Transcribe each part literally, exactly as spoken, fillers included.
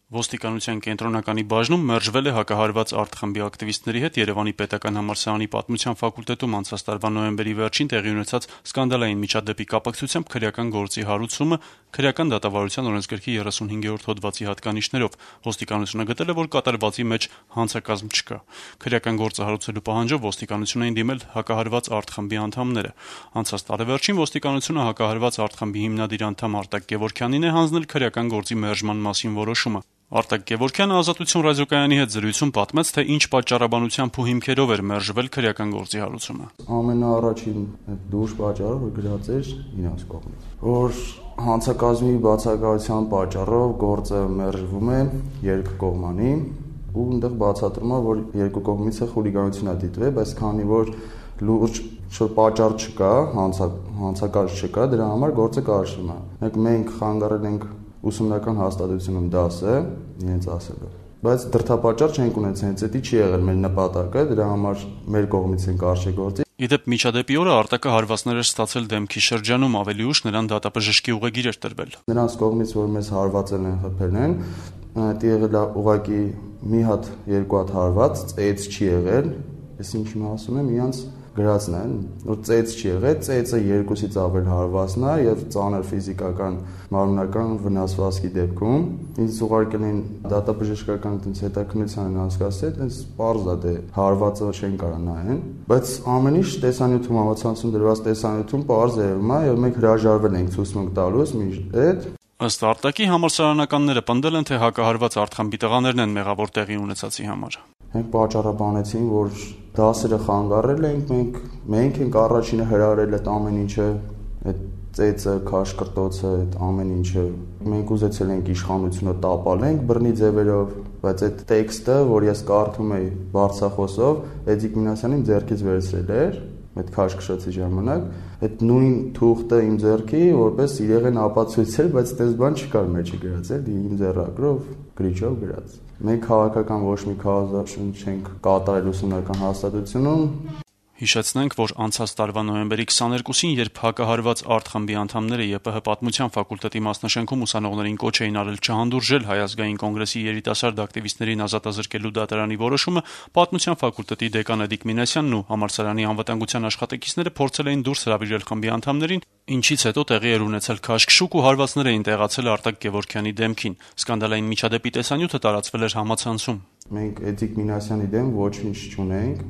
Ոստիկանության կենտրոնականի բաժնում մերժվել է հակահարված արտխմբի ակտիվիստների հետ Երևանի պետական համալսարանի պատմության ֆակուլտետում անցած տարվա նոյեմբերի վերջին տեղի ունեցած սկանդալային միջադեպի կապակցությամբ քրեական գործի հարուցումը քրեական դատավարության օրենսգրքի երեսունհինգերորդ հոդվածի հատկանիշներով։ Ոստիկանությունը գտել է, որ կատարվածի մեջ հանցակազմ չկա։ Քրեական գործը հարուցելու պահանջով ոստիկանություն էին դիմել հակահարված արտխմբի անդամները։ Անցած տարեվերջին ոստիկանությունը հակահարված արտխմբի հիմնադիր անդամ Արտակ Գևորգյանին է հանձնել քրեական գործի մերժման մասին որոշումը։ Արտակ Գևորգյանը «Ազատություն» ռադիոկայանի հետ զրույցում պատմեց, թե ինչ պատճառաբանությամբ ու հիմքերով էր մերժվել քրեական գործի հարուցումը։ Ամենաառաջին դուրս պատճառը, որ գրած էր իրաց կողմից, որ հանցակազմի բացակայության պատճառով գործը մերժվում է երկկողմանի ու այնտեղ բացատրում է, որ երկու կողմից է խուլիգանություն է դիտվել, բայց քանի որ լուրջ պատճառ չկա, հանցակազմ չկա, դրա համար գործը կարճում է։ Մենք մենք խանգարել ենք ուսումնական հաստատությունում դասը, իրենց ասելով։ Բայց դրդապատճառ չենք ունեցել, հենց դա չի եղել մեր նպատակը, դրա համար մեր կողմից են կարճ գործի։ Իդեպ միջադեպի օրը Արտակը հարվածներ էր ստացել դեմքի շրջանում, ավելի ուշ նրան դատաբժշկի ուղեգիր էր տրվել։ Նրանց կողմից, որ մեզ հարվածել են, խփել են, դա եղել է ուղղակի մի հատ, երկու հատ հարված, ծեծ չի եղել, ես ինչ ասում եմ, իրանց գրածն են, որ ծեծ չի եղել, ծեծը երկուսից ավել հարվածն է եւ ծանր ֆիզիկական մարմնական վնասվածքի դեպքում ինձ ուղարկել են դատաբժշկական այդպես հետաքննության են անցկացրել, այդպես պարզ է դե հարվածը չեն կարող նայեն, բայց ամեն ինչ տեսանյութում համացանցում դրված տեսանյութում պարզ է եղում է եւ մենք հրաժարվել ենք ցուցմունք տալուց մի այդ Ըստ Արտակի համալսարանականները պնդել են, թե հակահարված արտխմբի տղաներն են մեղավոր տեղի ունեցածի համար։ Մենք պատճառաբանեցին, որ դասերը խանգարել ենք, մենք մենք ենք առաջինը հրահրել այդ ամեն ինչը, այդ ծեծը, քաշկրտոցը, այդ ամեն ինչը։ Մենք ուզեցել ենք իշխանությունը տապալենք բռնի ձևերով, բայց այդ տեքստը, որ ես կարդում էի բարձրախոսով, Էդիկ Մինասյանին ձեռքից վերցրել էր, այդ քաշքշոցի ժամանակ, այդ նույն թուղթը իմ ձեռքի, որպես իրեղեն ապացույցել, բայց այդպես բան չկար մեջը գրած, էլի իմ ձեռագրով, գրիչով գրած։ Մենք քաղաքական ոչ մի քարոզարշունչ չենք կատարել ուսումնական հաստատությունում։ Հիշեցնենք, որ անցած տարվա նոյեմբերի քսաներկուսին, երբ հակահարված արտխմբի անդամները ԵՊՀ պատմության ֆակուլտետի մասնաշենքում ուսանողներին կոչ էին արել չհանդուրժել Հայ ազգային կոնգրեսի երիտասարդ ակտիվիստներին ազատազրկելու դատարանի որոշումը, պատմության ֆակուլտետի դեկան Էդիկ Մինասյանն ու համալսարանի անվտանգության աշխատակիցները փորձել էին դուրս հրավիրել խմբի անդամներին, ինչից հետո տեղի էր ունեցել քաշքշուկ ու հարվածներ էին տեղացել Արտակ Գևորգյանի դեմքին։ Սկանդալային միջադեպի տեսանյութը տարածվել էր համացանցում։ Մենք Էդիկ Մինասյանի դեմ ոչինչ չունենք։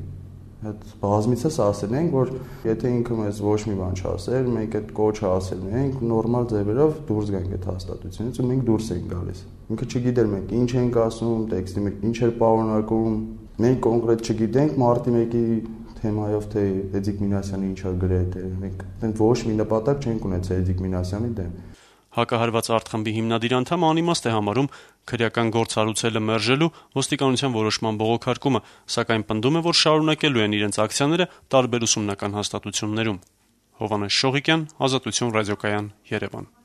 Այդ բազմիցս ասել ենք, որ եթե ինքը մեզ ոչ մի բան չասեր, մենք այդ կոչը ասել ենք, նորմալ ձևերով դուրս գանք այդ հաստատությունից ու մենք դուրս ենք գալիս։ Ինքը չգիտեր մենք ինչ ենք ասում, տեքստի մեջ ինչ էր պարունակում։ Մենք կոնկրետ չգիտենք մարտի մեկի թեմայով թե Էդիկ Մինասյանը ինչ է գրել, մենք այդպես ոչ մի նպատակ չենք ունեցել Էդիկ Մինասյանի դեմ։ Հակահարված արտխմբի հիմնադիր անդամը անիմաստ է համարում քրեական գործ հարուցելը մերժելու ոստիկանության որոշման բողոքարկումը, սակայն պնդում է, որ շարունակելու են իրենց ակցիաները տարբեր ուսումնական հաստատություններում։ Հովհաննես Շողիկյան, Ազատություն ռադիոկայան, Երևան։